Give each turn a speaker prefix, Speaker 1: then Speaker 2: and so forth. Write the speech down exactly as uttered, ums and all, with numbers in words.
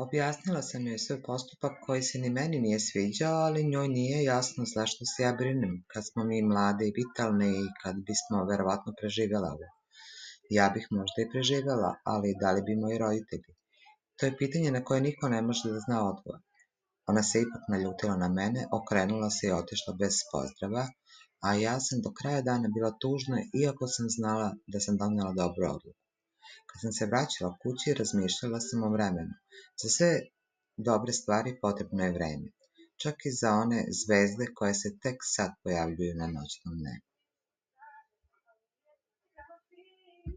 Speaker 1: Objasnila sam joj svoj postupak koji se ni meni nije sviđao, ali njoj nije jasno zašto se ja brinem kad smo mi mlade i vitalne i kad bismo verovatno preživjela ovo. Ja bih možda i preživjela, ali da li bi moji roditelji? To je pitanje na koje niko ne može da zna odgovor. Ona se ipak naljutila na mene, okrenula se i otišla bez pozdrava, a ja sam do kraja dana bila tužna, iako sam znala da sam donela dobru odluku. Kad sam se vraćala kući, razmišljala sam o vremenu. Za sve dobre stvari potrebno je vreme, čak i za one zvezde koje se tek sad pojavljuju na noćnom nebu.